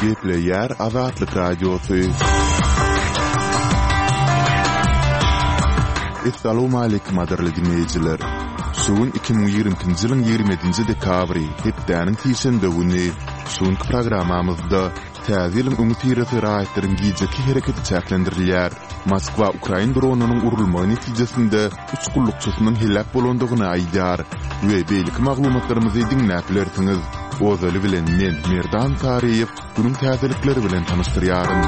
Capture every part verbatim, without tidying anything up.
Gepleýär Azatlyk Radiosy. Essalawmaleýkim gadyrly diňleýjiler! Şu gün iki müň ýigrimi ikinji ýylyň ýigrimi ýedinji dekabry, hepdäniň sişenbe güni. Şu günki programmamyzda Täze ýylyň öňüsyrasy raýatlaryň gijeki hereketi çäklendirilýär. Moskwa ukrain dronynyň urulmagy netijesinde üç gullukçysynyň heläk bolandygyny aýdýar we beýleki maglumatlarymyzy diňläp bilersiňiz. Ozaly bilen men, Merdan Saryýew, günüň täzelikleri bilen tanyşdyrýaryn.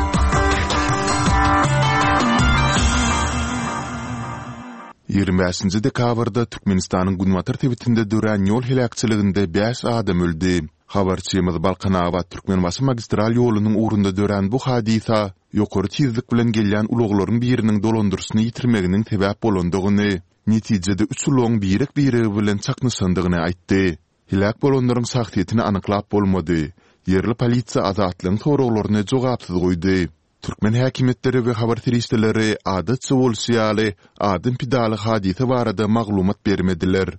Ýigrimi bäşinji dekabrda Türkmenistanyň günbatar sebitinde dörän ýol heläkçiliginde bäş adam öldi. Habarçymyz Balkanabat-Türkmenbaşy magistral ýolunyň ugrunda dörän bu hadysa ýokary tizlik bilen gelýän ulaglaryň biriniň dolandyryşyny ýitirmeginiň sebäp bolandygyny, netijede üç ulagyň birek-biregi bilen çaknyşandygyny aýtdy. Heläk bolanlaryň şahsyýetini anyklap bolmady. Ýerli polisiýa Azatlygyň soraglaryny jogapsyz goýdy. Türkmen häkimiýetleri we habar serişdeleri adatça bolşy ýaly adam pidaly hadysa barada maglumat bermediler.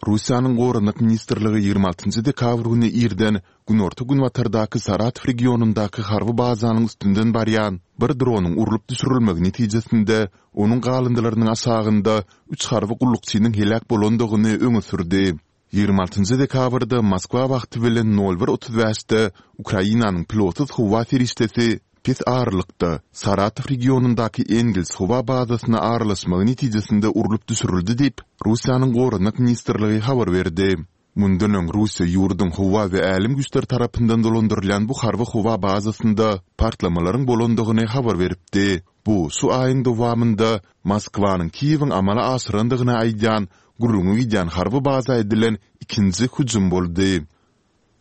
Russiýanyň Goranmak ministrligi ýigrimi altynjy dekabr güni irden günorta-günbatardaky Saratow regionyndaky harby bazanyň üstünden barýan bir dronyň urlup düşürilmegi netijesinde onuň galyndylarynyň aşagynda üç harby gullukçynyň heläk bolandygyny öňe sürdi. Ýigrimi altynjy dekabrda Moskwa wagty bilen nol bir otuz bäşde Ukrainanyň pilotsyz howa serişdesi Pes aralykda, Saratow regionyndaky Engels howa bazasyna aralaşmagy netijesinde urlup düşürildi diýip, Russiýanyň Goranmak ministrligi habar berdi. Mundan öň Russiýa ýurduň howa we älem güýçleri tarapyndan dolandyrylýan bu harby howa bazasynda partlamalaryň bolandygyny habar beripdi. Bu şu aýyň dowamynda Moskwanyň Kiýewiň amala aşyrandygyny aýdýan gürrüňi gidýän harby baza edilen ikinji hüjüm boldy.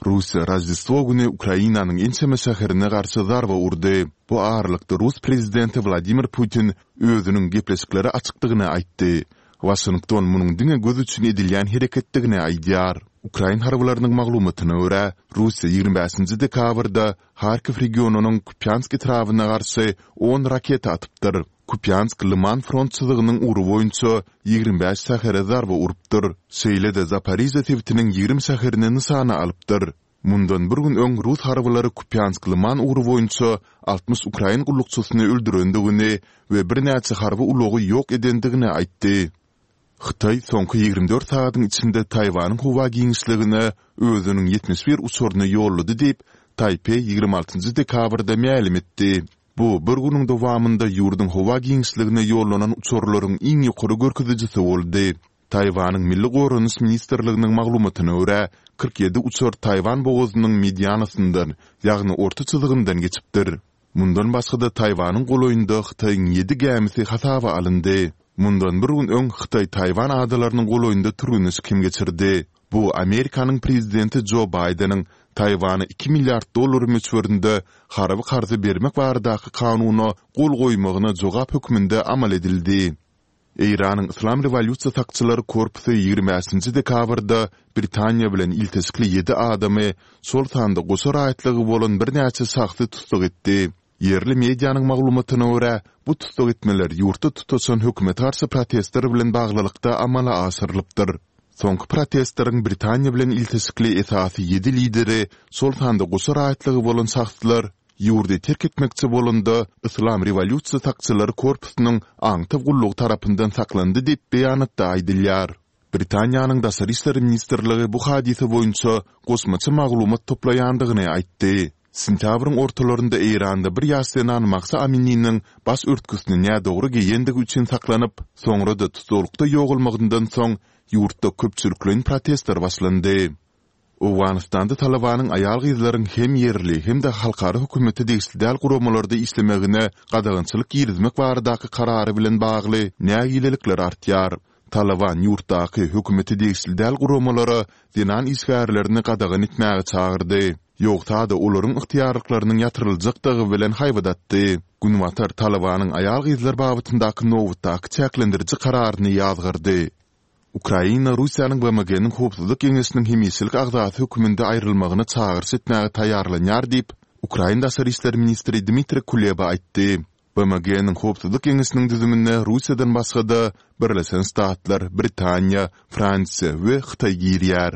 Russiýa Roždestwo güni Ukrainanyň ençeme şäherine garşy zarba urdy. Bu aralykda rus prezidenti Wladimir Putin özüniň gepleşiklere açykdygyny aýtdy. Waşington munuň diňe göz üçin edilýän hereketdigini aýdýar. Ukrain harbylarynyň maglumatyna görä, Russiýa ýigrimi bäşinji dekabrda Harkiw regionynyň Kupýansk etrabyna garşy on raketa atypdyr. Kupýansk Lyman front çyzygynyň ugry boýunça ýigrimi bäş şähere zarba urupdyr. Şeýle-de Zaporižýa sebitiniň ýigrimi şäherini nyşana alypdyr. Mundan bir gün öň rus harbylary Kupýansk-Lyman ugry boýunça altmyş ukrain gullukçysyny öldürendigini we birnäçe harby ulagy ýok edendigini aýtdy. Hytaý soňky ýigrimi dört sagatyň içinde Taýwanyň howa giňişligine özüniň ýetmiş bir uçaryny ýollady diýip, Taýpeý ýigrimi altynjy dekabrda mälim etdi. Bu bir günüň dowamynda ýurduň howa giňişligine ýollanan uçarlaryň iň ýokary görkezijisi boldy. Taýwanyň Milli goranyş ministrliginiň maglumatyna görä, kyrk ýedi uçar Taýwan bogazynyň medianasyndan, ýagny orta çyzygyndan geçipdir. Mundan başga-da Taýwanyň golaýynda Hytaýyň ýedi gämisi hasaba alyndy. Mundan bir gün öň Hytaý Taýwan adalarynyň golaýynda türgenleşik hem geçirdi. Bu Amerikanyň prezidenti Jo Baýdeniň Taýwana iki milliard dollar möçberinde harby karzy bermek baradaky kanuna gol goýmagyna jogap hökmünde amal edildi. Eýranyň Yslam rewolýusiýa sakçylary korpusy ýigrimi bäşinji dekabrda Britaniýa bilen ilteşikli ýedi adamy, şol sanda goşa raýatlygy bolan birnäçe şahsy tussag etdi. Ýerli medianyň maglumatyna görä, bu tussag etmeler ýurtda tutaşan hökümete garşy protestler bilen baglylykda amala aşyrylypdyr. Soňky protestleriň Britaniýa bilen ilteşikli esasy ýedi lideri, şol sanda goşa raýatlygy bolan şahslar, ýurdy terk etmekçi bolanda Yslam rewolýusiýa sakçylary korpusynyň aňtaw gullugy tarapyndan saklandy diýip, beýanatda aýdylýar. Britaniýanyň Daşary işler ministrligi bu hadysa boýunça goşmaça maglumat toplaýandygyny aýtdy. Sentýabryň ortalarynda Eýranda bir ýaş zenan Mahsa Amininiň baş örtgüsini nädogry geýendigi üçin saklanyp, soňra-da tussaglykda ýogalmagyndan soň ýurtda köpçülikleýin protestler başlandy. Owganystanda Talybanyň aýal-gyzlaryň hem ýerli, hem-de halkara hökümete degişli däl guramalarda işlemegine gadagançylyk girizmek baradaky karary bilen bagly nägilelikler artýar. Talyban ýurtdaky hökümete degişli däl guramalara zenan işgärlerini gadagan etmäge çagyrdy. Ýogsa-da olaryň ygtyýarlyklarynyň ýatyryljakdygy bilen haýbat atdy. Günbatar Talybanyň aýal-gyzlar babatyndaky nobatdaky çäklendiriji kararyny ýazgardy. Ukraina Russiýanyň BMG-niň Howpsuzlyk Geňeşiniň hemişelik agzasy hökmünde aýrylmagyna çagyryş etmäge taýýarlanýar diýip, ukrain daşary işler ministri Dmitriý Kuleba aýtdy. BMG-niň Howpsuzlyk Geňeşiniň düzümine Russiýadan başga-da, Birleşen Ştatlar, Britaniýa, Fransiýa we Hytaý girýär.